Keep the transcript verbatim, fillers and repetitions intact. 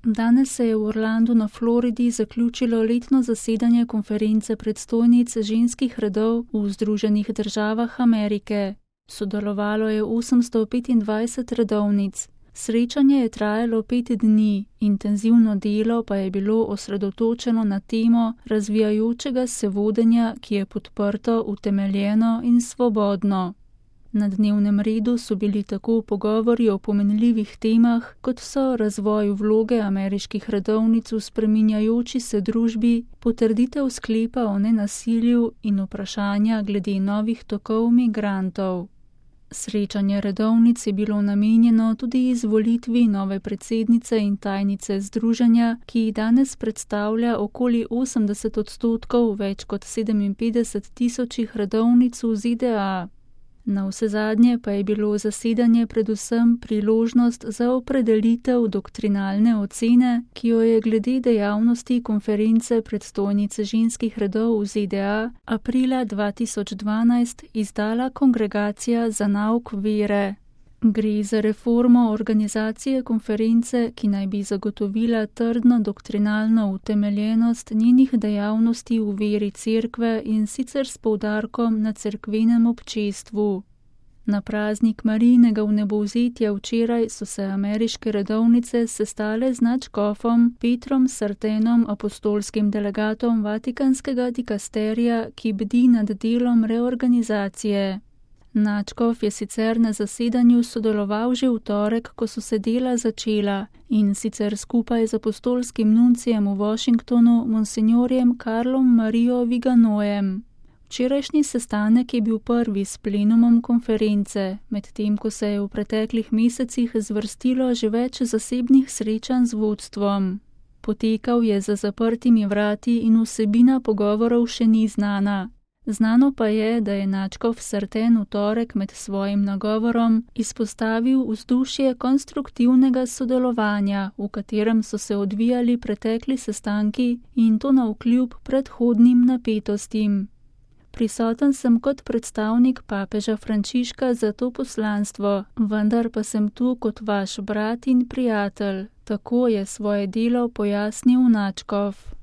Danes se je v Orlandu na Floridi zaključilo letno zasedanje konference predstojnic ženskih redov v Združenih državah Amerike. Sodelovalo je osemsto petindvajset redovnic. Srečanje je trajalo pet dni, intenzivno delo pa je bilo osredotočeno na temo razvijajočega se vodenja, ki je podprto, utemeljeno in svobodno. Na dnevnem redu so bili tako pogovori o pomenljivih temah, kot so razvoj vloge ameriških redovnic v spreminjajoči se družbi, potrditev sklepa o nenasilju in vprašanja glede novih tokov migrantov. Srečanje redovnic je bilo namenjeno tudi izvolitvi nove predsednice in tajnice združenja, ki danes predstavlja okoli osemdeset odstotkov več kot sedeminpetdeset tisočih redovnic v Z D A. Navsezadnje pa je bilo zasedanje predvsem priložnost za opredelitev doktrinalne ocene, ki jo je glede dejavnosti konference predstojnice ženskih redov v Z D A aprila dva tisoč dvanajst izdala Kongregacija za nauk vere. Gre za reformo organizacije konference, ki naj bi zagotovila trdno doktrinalno utemeljenost njenih dejavnosti v veri cerkve in sicer s poudarkom na cerkvenem občestvu. Na praznik Marijinega vnebovzetja včeraj so se ameriške redovnice sestale z nadškofom Petrom Sartenom, apostolskim delegatom Vatikanskega dikasterija, ki bdi nad delom reorganizacije. Nadškof je sicer na zasedanju sodeloval že v torek, ko so se dela začela, in sicer skupaj z apostolskim nuncijem v Washingtonu, monsinjorjem Karlom Marijo Viganojem. Včerajšnji sestanek je bil prvi s plenumom konference, medtem ko se je v preteklih mesecih zvrstilo že več zasebnih srečanj z vodstvom. Potekal je za zaprtimi vrati in vsebina pogovorov še ni znana. Znano pa je, da je nadškof Sarten v torek med svojim nagovorom izpostavil vzdušje konstruktivnega sodelovanja, v katerem so se odvijali pretekli sestanki in to navkljub predhodnim napetostim. Prisoten sem kot predstavnik papeža Frančiška za to poslanstvo, vendar pa sem tu kot vaš brat in prijatelj, tako je svoje delo pojasnil nadškof.